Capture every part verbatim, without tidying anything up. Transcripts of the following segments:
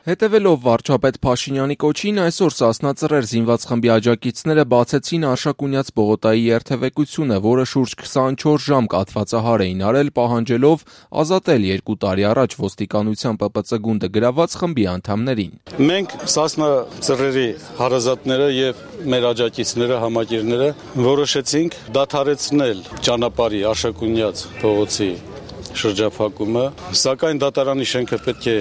Հետևելով վարչապետ Փաշինյանի կոչին, այսօր Սասնա Ծռեր զինված խմբի աջակիցները բացեցին Արշակունյաց Պողոտայի երթևեկությունը, որը շուրջ քսանչորս ժամ կաթվածահար էին արել, պահանջելով ազատել երկու տարի առաջ ոստիկանության Պ Պ Ծ գունդը գրաված խմբի անդամներին։ Մենք Սասնա Ծռերի հարազատները եւ մեր աջակիցները, համակիրները որոշեցինք դադարեցնել ճանապարհի Արշակունյաց փողոցի շրջափակումը, սակայն դատարանի շենքը պետք է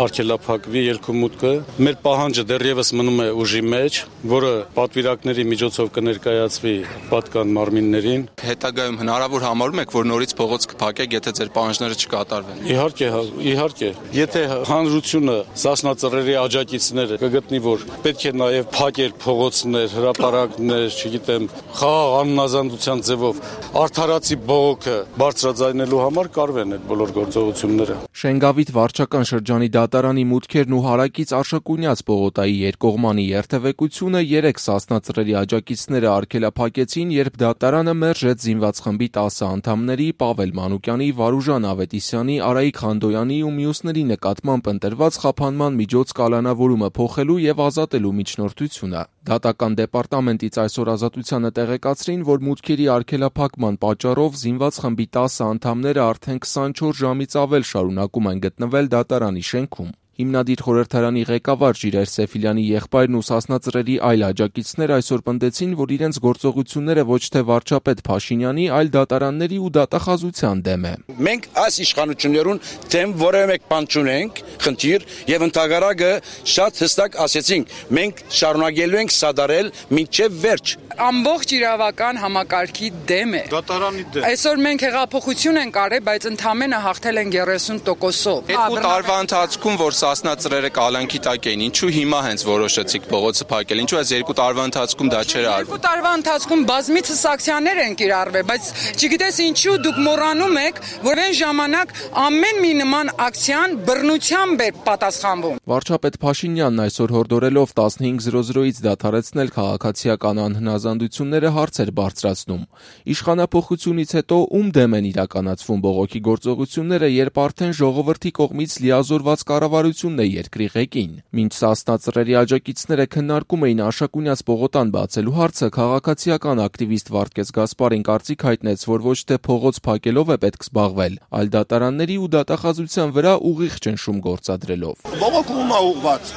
արգելափակվի ելքումուտքը։ Մեր պահանջը դեռևս մնում է ուժի մեջ, որը պատվիրակների միջոցով կներկայացվի պատկան մարմիններին։ Հետագայում հնարավոր համարում եք, որ նորից փողոց կփակեք, եթե ձեր պահանջները չկատարվեն։ Իհարկե, իհարկե։ Եթե հանրությունը, Սասնա Ծռերի աջակիցները կգտնի, որ պետք է նաև փակել փողոցներ, հրապարակներ, չգիտեմ, խաղաղ աննազանդության ձևով արդարացի բողոքը բարձրաձայնելու համար կարվեն այդ բոլոր գործողությունները։ Շենգավիթ վարչական շրջանի դատարանի մուտքերն ու հարակից Արշակունյաց Պողոտայի երկկողմանի երթևեկությունը երեք Սասնա Ծռերի աջակիցները արգելափակեցին, երբ դատարանը մերժեց զինված խմբի տասը անդամների Պավել Մանուկյանի, Վարուժան Ավետիսյանի, Արայիկ Խանդոյանի ու մյուսների նկատմամբ ընտրված խափանման միջոց կալանավորումը փոխելու եւ ազատելու միջնորդությունը։ Դատական դեպարտամենտից այսօր Ազատությանը տեղեկացրին, որ մուտքերի արգելափակման պատճառով զինված խմբի տասը անդամները արդեն քսանչորս ժամից ավել շարունակում են գտնվել դատարանի շենքում։ Հիմնադիր խորհրդարանի ղեկավար Ժիրայր Սեֆիլյանի եղբայրն ու Սասնա Ծռերի այլ աջակիցներ այսօր պնդեցին, որ իրենց գործողությունները ոչ թե վարչապետ Փաշինյանի, այլ դատարանների ու դատախազության դեմ է։ Մենք այս իշխանություններուն դեմ որևէ մեկ բան չունենք, խնդիր, եւ ընդհանրակը շատ հստակ ասեցինք, մենք շարունակելու ենք սադարել մինչեւ վերջ։ Ամբողջ իրավական համակարգի դեմ է։ Դատարանի դեմ։ Այսօր մենք հեղափոխություն ենք արել, բայց ընդամենը հաղթել են երեսուն տոկոսով։ Երկու տարվա ընթացքում, որ Սասնա Ծռերը կալանքի տակ էին, ինչու հիմա հենց որոշեցիք փողոցը փակել, ինչու այս երկու տարվա ընթացքում դա չէր արվում։ Երկու տարվա ընթացքում բազմիցս ակցիաներ են կիրառվել, բայց չգիտես ինչու դուք մոռանում եք, որ այն ժամանակ ամեն մի նման ակցիան բռնությամբ էր պատասխանվում։ Վարչապետ Փաշինյանն այսօր հորդորելով տասնհինգ զրո զրոից դադարեցնել քաղաքացիական անհնազանդությունները հարց էր բարձրացնում։ Իշխանափոխությունից հետո ում դեմ են իրականացվում բողոքի գործողությունները, երբ արդեն ժողովրդի կողմից լիազորված կառավարությունն է երկրի ղեկին։ Մինչ Սասնա Ծռերի աջակիցները քննարկում էին Արշակունյաց Պողոտան բացելու հարցը, քաղաքացիական ակտիվիստ Վարդգես Գասպարին կարծիք հայտնեց, որ ոչ թե փողոց փակելով է պետք զբաղվել, այլ դատարանների ու դատախազության վրա ուղիղ ճնշում գործադրելով։ Բողոքը ում է ուղղված։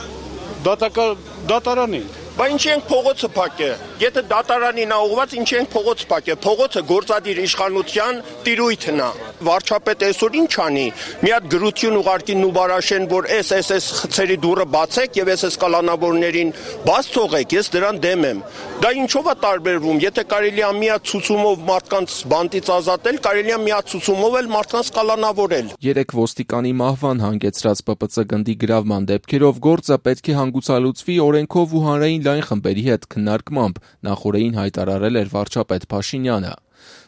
Դատական դատարանին։ Բայց ինչ ենք փողոցը փակե։ Եթե դատարանին է ուղղված, ինչ ենք փողոցը փակե։ Փողոցը գործադիր իշխանության տիրույթն է։ Վարչապետ այսօր ինչ անի։ Մի հատ գրություն ուղարկի Նուբարաշեն, որ էս էս էս խցերի դուռը բացեք եւ էս էս կալանավորներին բաց թողեք, ես դրան դեմ եմ։ Դա ինչով է տարբերվում։ Եթե կարելի է մի հատ ցուցումով մարդկանց բանտից ազատել, կարելի է մի հատ ցուցումով էլ մարդկանց կալանավորել։ Երեք ոստիկանի մահվան հանգեցրած Պ Պ Ծ գնդի գրավման դեպքերով գործը պետք է հանգուցալուծվի օրենքով ու հանրային լայն խմբերի հետ քննարկմամբ, նախորդին հայտարարել էր վարչապետ Փաշինյանը։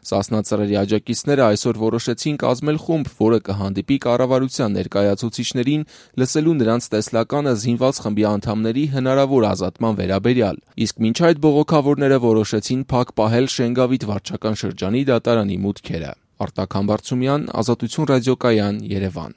Սասնա Ծռերի աջակիցները այսօր որոշեցին կազմել խումբ, որը կհանդիպի կառավարության ներկայացուցիչներին լսելու նրանց տեսլականը զինված խմբի անդամների հնարավոր ազատման վերաբերյալ։ Իսկ մինչ այդ բողոքավորները որոշեցին փակ պահել Շենգավիթ վարչական շրջանի դատարանի մուտքերը։ Արտակ Համբարձումյան, Ազատություն ռադիոկայան, Երևան։